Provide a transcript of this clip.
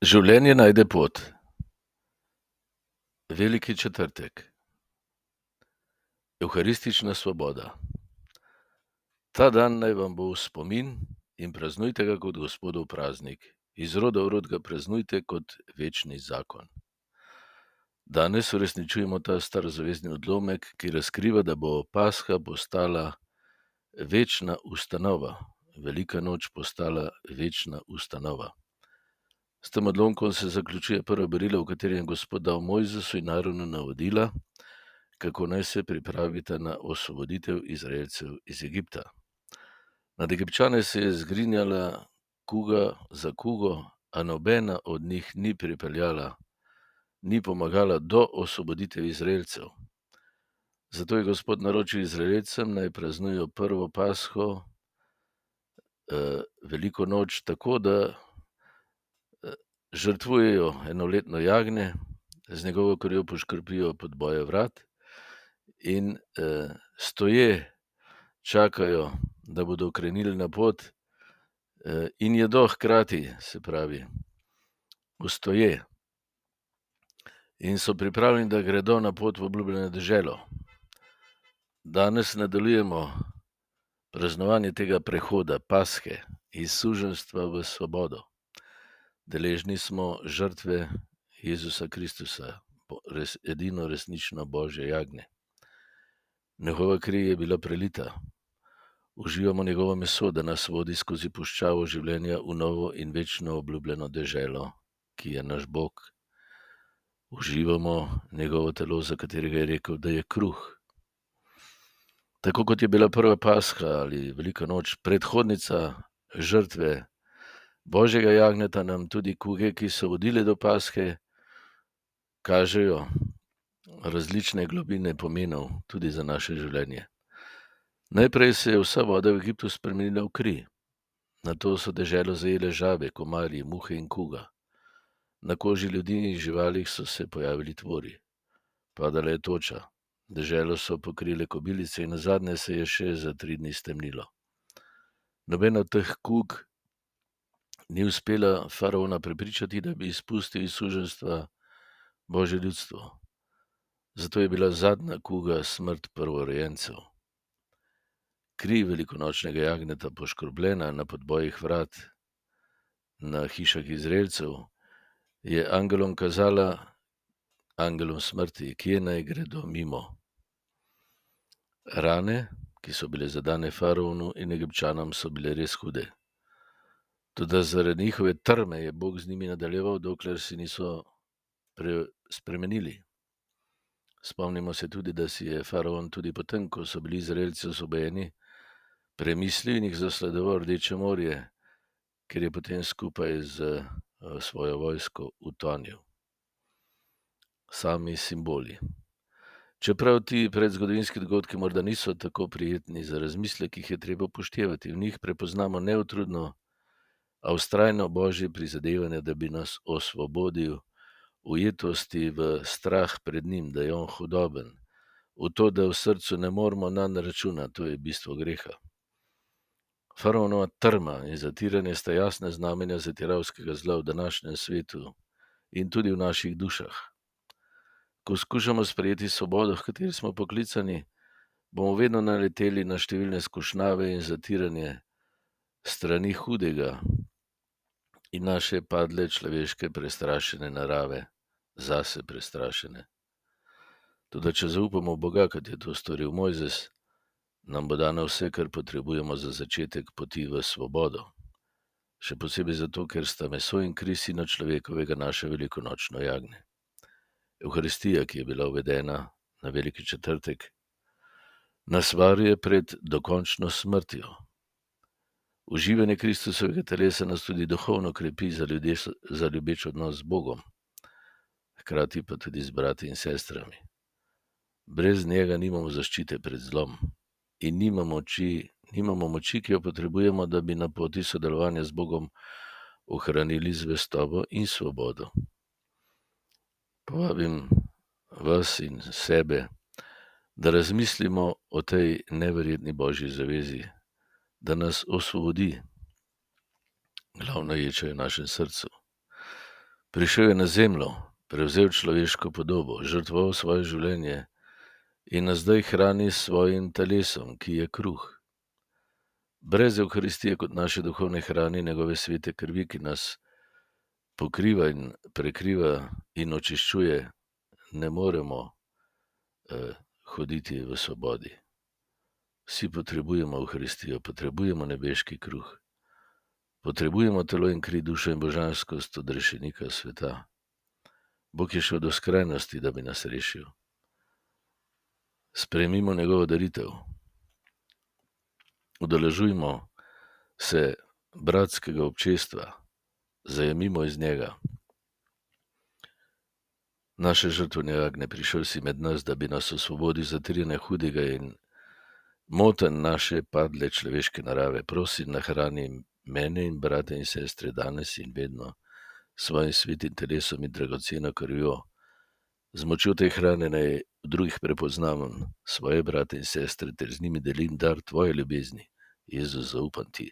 Življenje najde pot. Veliki četrtek. Evharistična svoboda. Ta dan naj vam bo v spomin in praznujte ga kot Gospodov praznik. Iz roda v rod ga praznujte kot večni zakon. Danes uresničujemo ta starozavezni odlomek, ki razkriva, da bo Pasha postala večna ustanova. Velika noč postala večna ustanova. S tem odlomkom se zaključuje prvo berilo, v katerem je Gospod dal Mojzesu in Aaronu navodila, kako naj se pripravita na osvoboditev Izraelcev iz Egipta. Nad Egipčane se je zgrinjala kuga za kugo, a nobena od njih ni pomagala do osvoboditev Izraelcev. Zato je Gospod naročil Izraelcem, naj praznujejo prvo Pasho, veliko noč, tako da žrtvujejo enoletno jagnje, z njegovo krvjo poškropijo podboje vrat in stoje čakajo, da bodo krenili na pot, in jedo hkrati, se pravi, stoje. In so pripravljeni, da gredo na pot v obljubljeno deželo. Danes nadaljujemo praznovanje tega prehoda, Pashe, iz suženjstva v svobodo. Deležni smo žrtve Jezusa Kristusa, edino resnično Božje jagnje. Njegova kri je bila prelita. Uživamo njegovo meso, da nas vodi skozi puščavo življenja v novo in večno obljubljeno deželo, ki je naš Bog. Uživamo njegovo telo, za katerega je rekel, da je kruh. Tako kot je bila prva Pasha ali velika noč predhodnica žrtve Božjega jagnjeta, nam tudi kuge, ki so vodile do Pashe, kažejo različne globine pomenov tudi za naše življenje. Najprej se je vsa voda v Egiptu spremenila v kri. Nato so deželo zajele žabe, komarji, muhe in kuga. Na koži ljudi in živalih so se pojavili tvori. Padala je toča. Deželo so pokrile kobilice in nazadnje se je še za 3 dni stemnilo. Nobena od teh kug ni uspela faraona prepričati, da bi izpustil iz suženjstva Božje ljudstvo. Zato je bila zadnja kuga smrt prvorojencev. Kri velikonočnega jagnjeta poškrbljena na podbojih vrat na hišah Izraelcev je angelom kazala, angelom smrti, kje naj gredo mimo. Rane, ki so bile zadane faraonu in Egipčanom, so bile res hude. Toda zaradi njihove trme je Bog z njimi nadaljeval, dokler si niso spremenili. Spomnimo se tudi, da si je faraon tudi potem, ko so bili Izraelci osvobojeni, premislil in jih zasledoval Rdeče morje, ker je potem skupaj z svojo vojsko utonil. Sami simboli. Čeprav ti predzgodovinski dogodki morda niso tako prijetni za razmislek, jih je treba upoštevati. V njih prepoznamo neutrudno, a vztrajno Božje prizadevanje, da bi nas osvobodil ujetosti v strah pred njim, da je on hudoben, v to, da v srcu ne moremo nanj računati, to je bistvo greha. Faraonova trma in zatiranje sta jasne znamenja zatiravskega zla v današnjem svetu in tudi v naših dušah. Ko skušamo sprejeti svobodo, v kateri smo poklicani, bomo vedno naleteli na številne skušnjave in zatiranje strani hudega in naše padle človeške prestrašene narave, zase prestrašene. Toda če zaupamo v Boga, kot je to storil Mojzes, nam bo dano vse, kar potrebujemo za začetek poti v svobodo. Še posebej zato, ker sta meso in kri sina človekovega naše velikonočno jagnje. Evharistija, ki je bila uvedena na veliki četrtek, nas varuje pred dokončno smrtjo. Uživanje Kristusovega telesa nas tudi duhovno krepi za ljubeč odnos z Bogom, hkrati pa tudi z brati in sestrami. Brez njega nimamo zaščite pred zlom in nimamo moči, ki jo potrebujemo, da bi na poti sodelovanja z Bogom ohranili zvestobo in svobodo. Povabim vas in sebe, da razmislimo o tej neverjetni Božji zavezi, da nas osvobodi. Glavna ječa je v našem srcu. Prišel je na zemljo, prevzel človeško podobo, žrtvoval svoje življenje in nas zdaj hrani s svojim telesom, ki je kruh. Brez Evharistije kot naše duhovne hrane, njegove svete krvi, ki nas pokriva in prekriva in očiščuje, ne moremo hoditi v svobodi. Vsi potrebujemo Evharistijo, potrebujemo nebeški kruh. Potrebujemo telo in kri, dušo in božanskost od rešenika sveta. Bog je šel do skrajnosti, da bi nas rešil. Sprejmimo njegovo daritev. Udeležujmo se bratskega občestva, zajemimo iz njega. Naše žrtvene jagnje, prišel si med nas, da bi nas osvobodil zatirjene hudega in moten naše padle človeške narave. Prosim, nahrani mene in brate in sestre danes in vedno svojim svetim telesom in dragoceno krvjo. Z močjo te hrane naj v drugih prepoznavam svoje brate in sestre ter z njimi delim dar tvoje ljubezni. Jezus, zaupam ti.